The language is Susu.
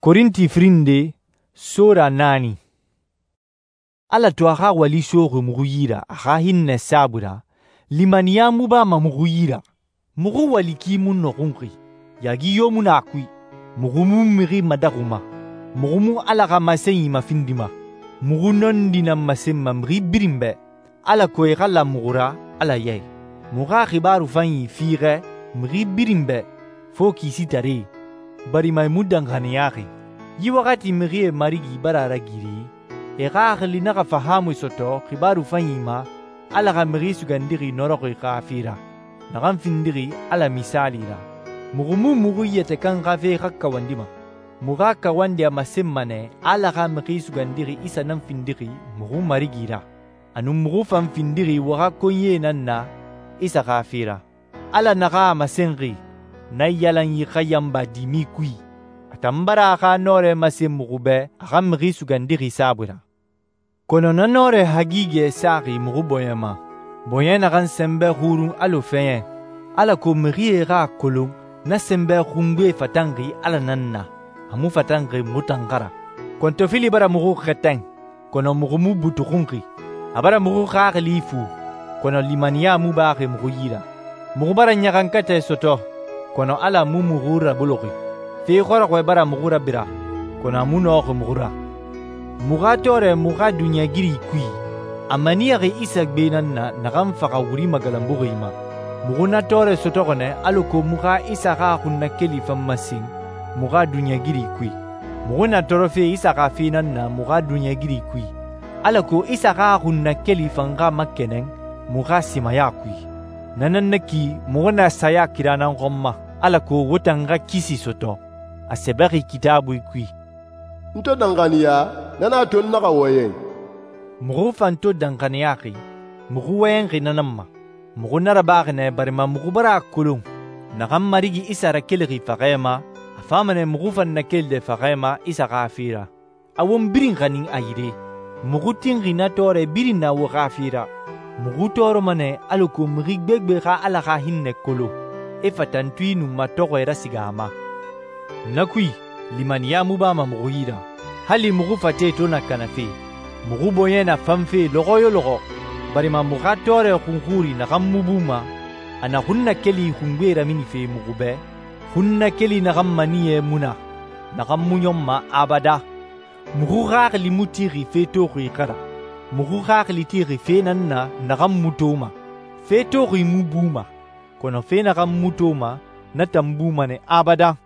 Korinti firin nde, sura 9. Ala to a xa wali soxi muxu yi ra a xa hinnɛ saabui ra, limaniya mu bama muxu yi ra. Muxu wali ki mu nɔxunxi, yaagi yo mu na a kui. Muxu mu mixi madaxuma, muxu mu Ala xa masenyi mafindima. Muxu nɔndi nan masenma mixi birin bɛ, alako e xa lan muxu ra Ala ya i. Muxu xa xibaaru fanyi fiixɛ mixi birin bɛ fo kisitaree, barima e mu danxaniyaxi. Yi waxati mixie Marigi bara a ragiri, e xaxili naxa fahaamui sɔtɔ xibaaru fanyi ma Ala xa Mixi Sugandixi nɔrɔxi xa fe ra, naxan findixi Ala misaali ra. Muxu mu muxu yɛtɛ kan xa fe xa kawandima. Muxu xa kawandi a masenma nɛ Ala xa Mixi Sugandixi Isa nan findixi muxu Marigi ra. A nun muxu fan findixi wo xa konyie nan na Isa xa fe ra. Ala naxan a masenxi, naiyalanyi xa yanba dimi kui, a tan bara a xa nɔrɛ masen muxu bɛ a xa Mixi Sugandixi saabui ra. Kɔnɔ na nɔrɛ hagigɛ saxi muxu bɔɲɛ ma, bɔɲɛ naxan sɛnbɛ xurun alɔ fɛɲɛ, alako mixie xa a kolon na sɛnbɛ xungbe fatanxi Ala nan na, a mu fatanxi muxu tan xa ra. Kɔntɔfili bara muxu xɛtɛn, kɔnɔ muxu mu butuxunxi. A bara muxu xaxili fu, kɔnɔ limaniya mu baxi muxu yi ra. Muxu bara ɲaxankatɛ sɔtɔ, kɔnɔ Ala mu muxu raboloxi. Fe xɔrɔxɔɛ bara muxu rabira, kɔnɔ a mu nɔxi muxu ra. Muxu xa tɔɔrɛ muxu xa duniɲɛgiri kui, a maniyaxi Isa gbe nan na naxan faxa wuri magalanbuxi ma. Muxu na tɔɔrɛ sɔtɔxɔ nɛ alako muxu xa Isa xa xunnakeli fan masen muxu xa duniɲɛgiri kui. Muxu na tɔɔrɔfe Isa xa fe nan na muxu xa duniɲɛgiri kui, alako Isa xa xunnakeli fan xa makɛnɛn muxu xa simaya kui. Na nan na ki muxu na saya kira nan xɔn ma, alako wo tan xa kisi sɔtɔ. A sɛbɛxi Kitaabui kui, «N to danxaniya, na nan a to n naxa wɔyɛn.» Muxu fan to danxaniyaxi, muxu wɔyɛnxi na nan ma. Muxu na rabaxi nɛ barima muxu bara a kolon naxan Marigi Isa rakelixi faxɛ ma, a fama nɛ muxu fan nakelide faxɛ ma Isa xa fe ra. A won birin xanin a yire. Muxu tinxi na tɔɔrɛ birin na wo xa fe ra. Muxu tɔɔrɔma nɛ alako mixi gbegbe xa Ala xa hinnɛ kolon, e fatantui nun matɔxɔɛ rasiga a ma. Na kui, limaniya mu bama muxu yi ra. Hali muxu fate to na kanafe, muxu bɔɲɛ na fanfe lɔxɔ yo lɔxɔ, barima muxu xa tɔɔrɛ xunxuri naxan mu buma, a na xunnakeli xungbe raminife muxu bɛ, xunnakeli naxan maniyɛ mu na, naxan mu ɲɔnma abada. Muxu xaxili mu tixi fe toxi xa ra. Muxu xaxili tixi fe nan na naxan mu toma. Fe toxi mu buma, kɔnɔ fe naxan mu toma, na tan buma nɛ abada.